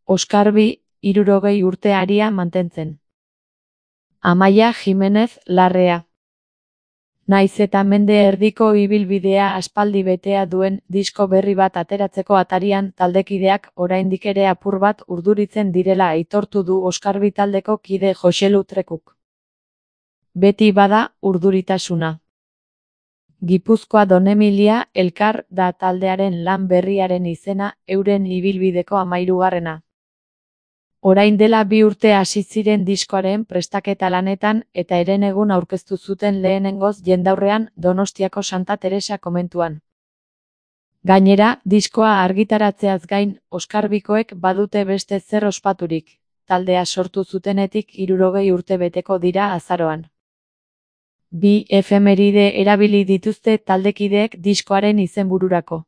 Oskarbi, 60 urte aria mantentzen. Amaia Jimenez Larrea. Naiz eta mende erdiko ibilbidea aspaldi betea duen disko berri bat ateratzeko atarian taldekideak oraindik ere apur bat urduritzen direla aitortu du Oskarbi taldeko kide Joxelu Trekuk. Beti bada urduritasuna. Gipuzkoa Donemilia Elkar da taldearen lan berriaren izena, euren ibilbideko 13. Orain dela 2 urte hasi ziren diskoaren prestaketa lanetan eta herenegun aurkeztu zuten lehenengoz jendaurrean Donostiako Santa Teresa komentuan. Gainera, diskoa argitaratzeaz gain, Oskarbikoek badute beste zer ospaturik, taldea sortu zutenetik 60 urte beteko dira azaroan. 2 efemeride erabili dituzte taldekideek diskoaren izenbururako.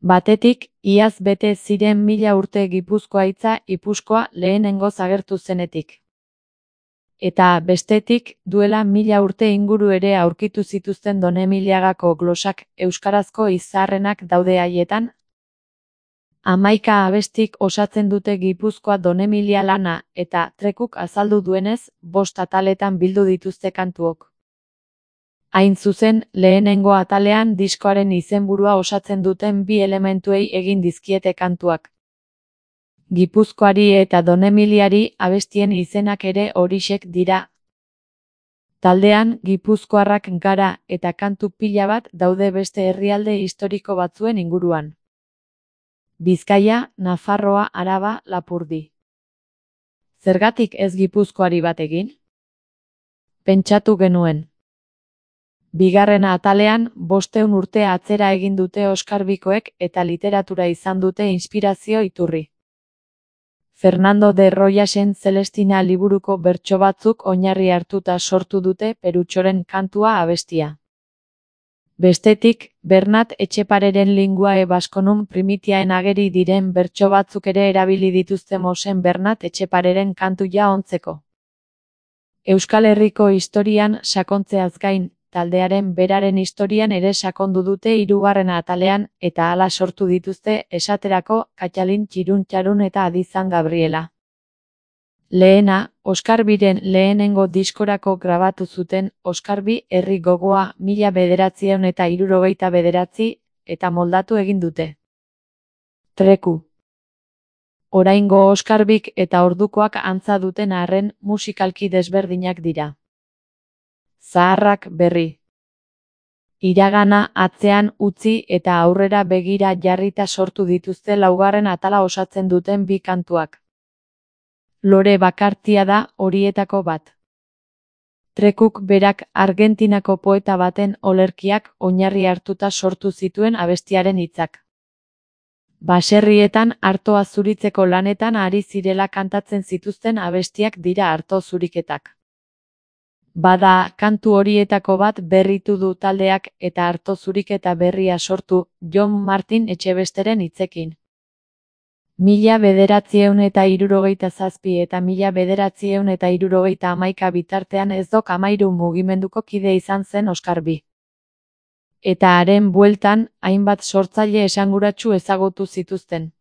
Batetik, iaz bete ziren 1000 urte Gipuzkoa hitza Ipuskoa lehenengoz agertu zenetik. Eta bestetik, duela 1000 urte inguru ere aurkitu zituzten Donemiliagako glosak euskarazko izarrenak daude haietan. 11 abestik osatzen dute Gipuzkoa Donemilia lana eta Trekuk azaldu duenez, 5 ataletan bildu dituzte kantuok. Hain zuzen, lehenengo atalean diskoaren izenburua osatzen duten 2 elementuei egin dizkiete kantuak. Gipuzkoari eta Donemiliari abestien izenak ere horixek dira. Taldean, gipuzkoarrak gara eta kantu pila bat daude beste herrialde historiko batzuen inguruan. Bizkaia, Nafarroa, Araba, Lapurdi. Zergatik ez Gipuzkoari bat egin? Pentsatu genuen. 2. atalean, 500 urte atzera egin dute Oskarbikoek eta literatura izan dute inspirazio iturri. Fernando de Royasen Celestina liburuko bertso batzuk oinarri hartuta sortu dute Perutxoren kantua abestia. Bestetik, Bernat Etxepareren Linguae Basconum Primitiaen ageri diren bertso batzuk ere erabili dituzte Mosen Bernat Etxepareren kantuia ontzeko. Euskal Herriko historian sakontzeaz gain, taldearen beraren historian ere sakondu dute 3. atalean eta hala sortu dituzte esaterako Katxalin Txirun eta Adizan Gabriela. Lehena, Oskarbiren lehenengo diskorako grabatu zuten Oskarbi herri gogoa 1969 eta moldatu egin dute. Treku. Oraingo Oskarbik eta ordukoak antza duten arren musikalki desberdinak dira. Zaharrak berri. Iragana atzean utzi eta aurrera begira jarrita sortu dituzte 4. atala osatzen duten 2 kantuak. Lore Bakartia da horietako bat. Trekuk berak Argentinako poeta baten olerkiak oinarri hartuta sortu zituen abestiaren hitzak. Baserrietan artoa zuritzeko lanetan ari zirela kantatzen zituzten abestiak dira arto zuriketak. Bada, kantu horietako bat berritu du taldeak eta arto zuriketa berria sortu, Jon Martin Etxebesteren hitzekin. 1967 eta 1971 bitartean ez dok 13 mugimenduko kide izan zen Oskarbi. Eta haren bueltan, hainbat sortzaile esanguratsu ezagutu zituzten.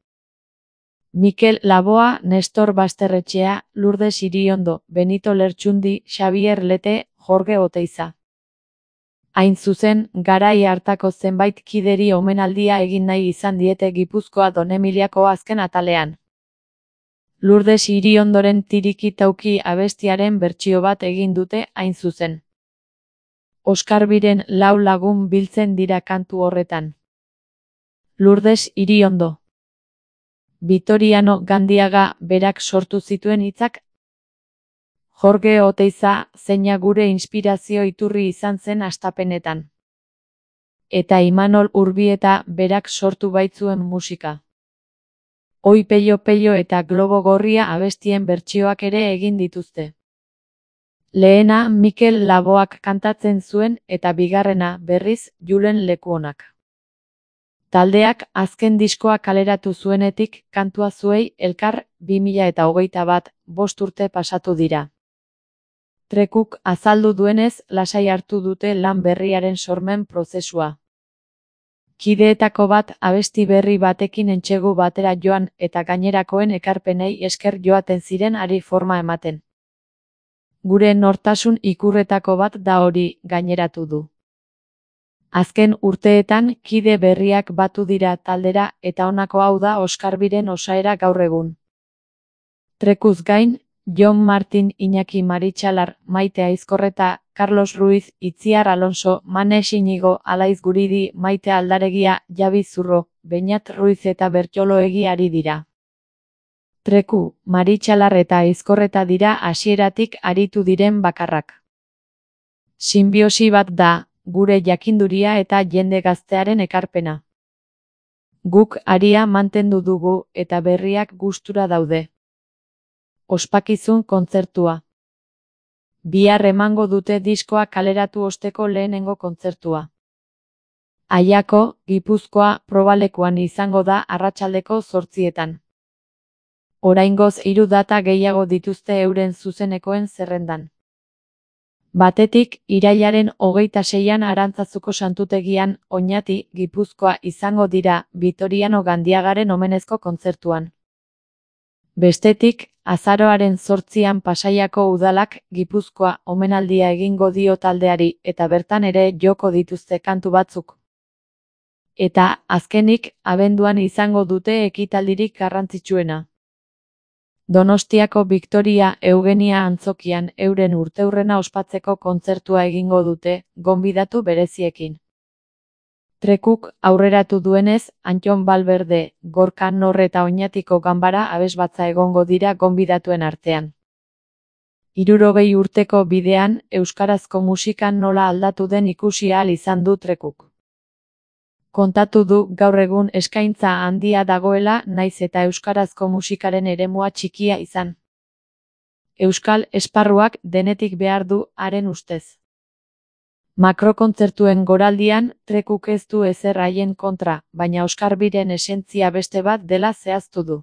Mikel Laboa, Nestor Basterretxea, Lourdes Iriondo, Benito Lertxundi, Xabier Lete, Jorge Oteiza. Hain zuzen, garai hartako zenbait kideri omenaldia egin nahi izan diete Gipuzkoa Donemiliako azken atalean. Lourdes Iriondoren Tiriki Tauki abestiaren bertsio bat egin dute hain zuzen. Oskarbiren 4 lagun biltzen dira kantu horretan. Lourdes Iriondo. Vitoriano Gandiaga berak sortu zituen hitzak. Jorge Oteiza zeina gure inspirazio iturri izan zen hastapenetan. Eta Imanol Urbieta berak sortu baitzuen musika. Oi Peio Peio eta Globo Gorria abestien bertsioak ere egin dituzte. Lehena Mikel Laboak kantatzen zuen eta bigarrena berriz Julen Lekuonak. Taldeak azken diskoa kaleratu zuenetik kantua zuei elkar 2021, 5 urte pasatu dira. Trekuk azaldu duenez lasai hartu dute lan berriaren sormen prozesua. Kideetako bat abesti berri batekin entsegu batera joan eta gainerakoen ekarpenei esker joaten ziren hari forma ematen. Gure nortasun ikurretako bat da hori, gaineratu du. Azken urteetan kide berriak batu dira taldera eta honako hau da Oskarbiren osaera gaur egun. Trekuz gain, Jon Martin, Iñaki Maritxalar, Maite Aizkorreta, Carlos Ruiz, Itziar Alonso, Manes Inigo, Alaiz Guridi, Maite Aldaregia, Javi Zurro, Beñat Ruiz eta Bertxoloegi ari dira. Treku, Maritxalar eta Aizkorreta dira hasieratik aritu diren bakarrak. Sinbiosi bat da, gure jakinduria eta jende gaztearen ekarpena. Guk aria mantendu dugu eta berriak gustura daude. Ospakizun kontzertua. Bihar emango dute diskoa kaleratu osteko lehenengo kontzertua. Aiako, Gipuzkoa, probalekuan izango da arratsaldeko 8:00. Oraingoz 3 data gehiago dituzte euren zuzenekoen zerrendan. Batetik, irailaren 26an Arantzazuko santutegian, Oñati, Gipuzkoa izango dira, Vitoriano Gandiagaren omenezko kontzertuan. Bestetik, azaroaren 8an Pasaiako udalak Gipuzkoa omenaldia egingo dio taldeari eta bertan ere joko dituzte kantu batzuk. Eta, azkenik, abenduan izango dute ekitaldirik garrantzitsuena. Donostiako Victoria Eugenia antzokian euren urteurrena ospatzeko kontzertua egingo dute, gonbidatu bereziekin. Trekuk aurreratu duenez, Antton Balberde, Gorka Nor eta Oñatiko Ganbara abesbatza egongo dira gonbidatuen artean. 60 urteko bidean, euskarazko musikan nola aldatu den ikusi ahal izan du Trekuk. Kontatu du gaur egun eskaintza handia dagoela naiz eta euskarazko musikaren eremua txikia izan. Euskal esparruak denetik behar du haren ustez. Makrokontzertuen goraldian, Trekuk ez du ezer haien kontra, baina Oskarbiren esentzia beste bat dela zehaztu du.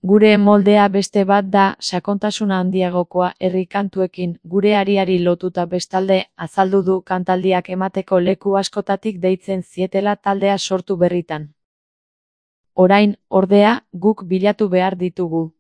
Gure moldea beste bat da, sakontasuna handiagokoa herri kantuekin, gure ariari lotuta bestalde, azaldu du kantaldiak emateko leku askotatik deitzen zietela taldea sortu berritan. Orain, ordea, guk bilatu behar ditugu.